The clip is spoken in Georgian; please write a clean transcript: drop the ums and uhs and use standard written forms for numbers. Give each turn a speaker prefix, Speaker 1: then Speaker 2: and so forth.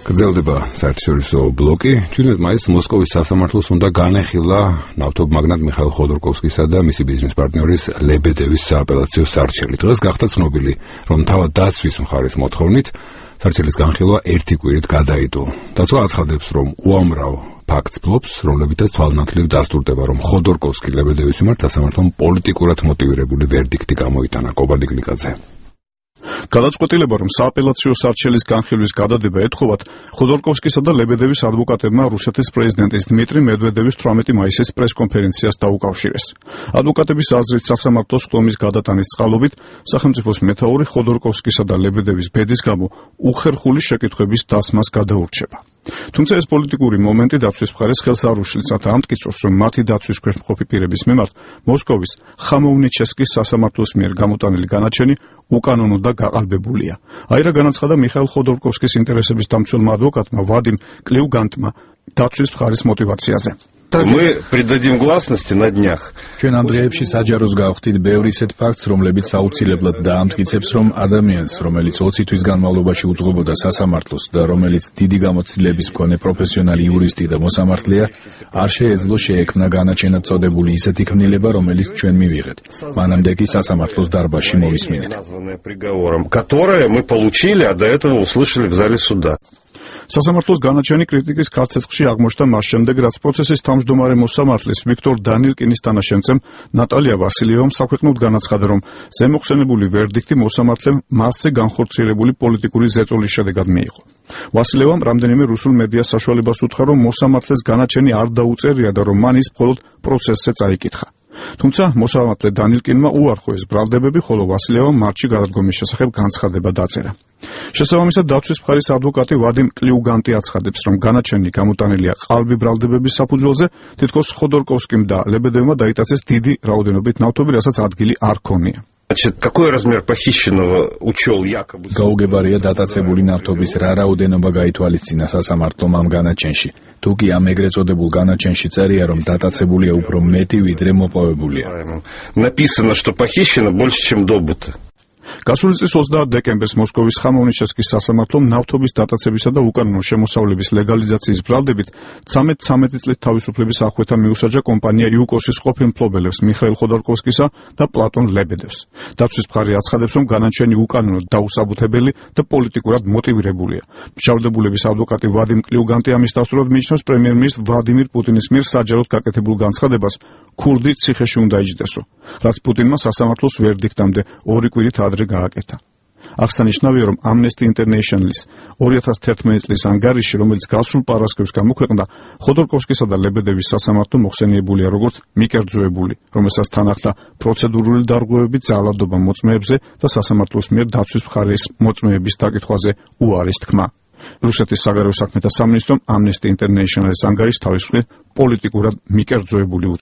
Speaker 1: გრძელდება საერთაშორისო ბლოკი. 17 მაისს მოსკოვის სასამართლოს უნდა განეხილა ნავთობ მაგნატ მიხაილ ხოდორკოვსკისა და მისი ბიზნეს პარტნიორის ლებედევის სააპელაციო სარჩელი. დღეს გახდა ცნობილი, რომ თავად დაცვის მხარის მოთხოვნით სარჩელის განხილვა ერთი კვირით გადაიდო. დაცვა აცხადებს, რომ უამრავ ფაქტს ფლობს, რომლებითაც თვალნათლივ დასტურდება, რომ ხოდორკოვსკი ლებედევის მიმართ სასამართლომ პოლიტიკურად მოტივირებული ვერდიქტი გამოიტანა. კობალდი გლიკაძე.
Speaker 2: გადაწყვეტილება, რომ სააპელაციო სარჩელის განხილვის გადადება ეთხოვათ, ხოდორკოვსკისა და ლებედევის ადვოკატებმა რუსეთის პრეზიდენტის დმიტრი მედვედევის 18 მაისის პრესკონფერენციას დაუკავშირეს. ადვოკატების აზრით, სასამართლოს ხდომის გადატანის წყალობით სახელმწიფოს მეთაური ხოდორკოვსკისა და ლებედევის ბედის გამო უხერხული შეკითხვების დასმას გადაურჩება. თუმცა ეს პოლიტიკური მომენტი დაცვის მხარეს ხელს არ უშლის, რათა ამტკიცოს, რომ მათი დაცვის ქვეშ მყოფი პირების მიმართ მოსკოვის ხამოუნიჩესკის სასამართლოს მიერ გამოტანილი განაჩენი უკანონო და გაყალბებულია. აირა განაცხადა მიხაილ ხოდორკოვსკის ინტერესების დამცველმა ადვოკატმა ვადიმ კლიუგანტმა დაცვის მხარის мотиваციაზე.
Speaker 3: Мы придадим гласности на днях.
Speaker 4: ჩვენ ამ დღეებში საჯაროს გავხდით ბევრი ისეთ ფაქტს, რომლებიც აუცილებლად დაამტკიცებს, რომ ადამიანს, რომელიც 20 თვის განმავლობაში უძღვებოდა სასამართლოს და რომელიც დიდი გამოცდილების მქონე პროფესიონალი იურისტი და მოსამართლეა, არ შეეძლო შეექმნა განაჩენად წოდებული ისეთი ქმნილება, რომელიც ჩვენ მივიღეთ. მანამდე კი სასამართლოს დარბაზში მოვისმინეთ.
Speaker 3: Которое мы получили, а до этого услышали в зале суда.
Speaker 2: სასამართლოს განაჩენი კრიტიკის ქარცეცხლში აღმოჩნდა მას შემდეგ, რაც პროცესის თავმჯდომარე მოსამართლის ვიქტორ დანილკინის თანაშემწემ ნატალია ვასილიევამ საქვეყნოდ განაცხადა, რომ ზემოხსენებული ვერდიქტი მოსამართლემ მასზე განხორციელებული პოლიტიკური ზეწოლის შედეგად მიიღო. ვასილევამ რამდენიმე რუსულ მედიას საშუალებას უთხრა, რომ მოსამართლეს განაჩენი არ დაუწერია და რომ მან ის მხოლოდ პროცესზე წაიკითხა. თუმცა მოსამართლე დანილკინმა უარყო ეს ბრალდებები, ხოლო ვასილევამ მარტში გადადგომის შესახებ განცხადება დაწერა. შესაბამისად, დაცვის მხარის ადვოკატი ვადიმ კლიუგანტი აცხადებს, რომ განაჩენი გამოტანილია ყალბი ბრალდებების საფუძველზე, თითქოს ხოდორკოვსკიმ და ლებედევმა დაიტაცეს დიდი რაოდენობით ნავთობი, რასაც ადგილი არ ქონია.
Speaker 3: Какой размер похищенного учел якобы?
Speaker 4: გაუგებარია დატაცებული ნავთობის რა რაოდენობა გაითვალისწინა სასამართლომ ამ განაჩენში. თუ კი ამ ეგრეთ წოდებულ განაჩენში წერია, რომ დატაცებულია უფრო მეტი, ვიდრე მოპოვებულია.
Speaker 3: Написано, что похищено больше, чем добыто.
Speaker 2: გასული წლის 30 დეკემბერს მოსკოვის ხამოუნიჩესკის სასამართლომ ნავთობის დატაცებისა და უკანონო შემოსავლების ლეგალიზაციის ბრალდებით 13 წლით თავისუფლების აღკვეთა მიუსაჯა კომპანია იუკოსის ყოფილ მფლობელებს მიხაილ ხოდორკოვსკისა და პლატონ ლებედევს. დაცვის მხარე აცხადებს, რომ განაჩენი უკანონო დაუსაბუთებელი და პოლიტიკურად მოტივირებულია. მშავდებულების ადვოკატი ვადიმ კლიუგანტი ამის დასტურად მიიჩნევს პრემიერ-მინისტრ ვლადიმირ პუტინის მიერ საჯაროდ გაკეთებულ განცხადებას ქურდი ციხეში უნდა იჯდესო, რაც პუტინმა სასამართლოს ვერდიქტამდე 2 კვირით ადრე გააკეთა. აღსანიშნავია, რომ Amnesty International-ის 2011 წლის ანგარიში, რომელიც გასულ პარასკევს გამოქვეყნდა, ხოდორკოვსკისა და ლებედევის სასამართლო მოხსენიებულია როგორც მიკერძოებული, რომელსაც თან ახლდა პროცედურული დარღვევები ძალადობა მოწმეებზე და სასამართლოს მიერ დაცვის მხარის მოწმეების დაკითხვაზე უარის თქმა. რუსეთის საგარეო საქმეთა სამინისტრომ Amnesty International-ის ანგარიშს თავის მხრივ პოლიტიკურად მიკერძოებული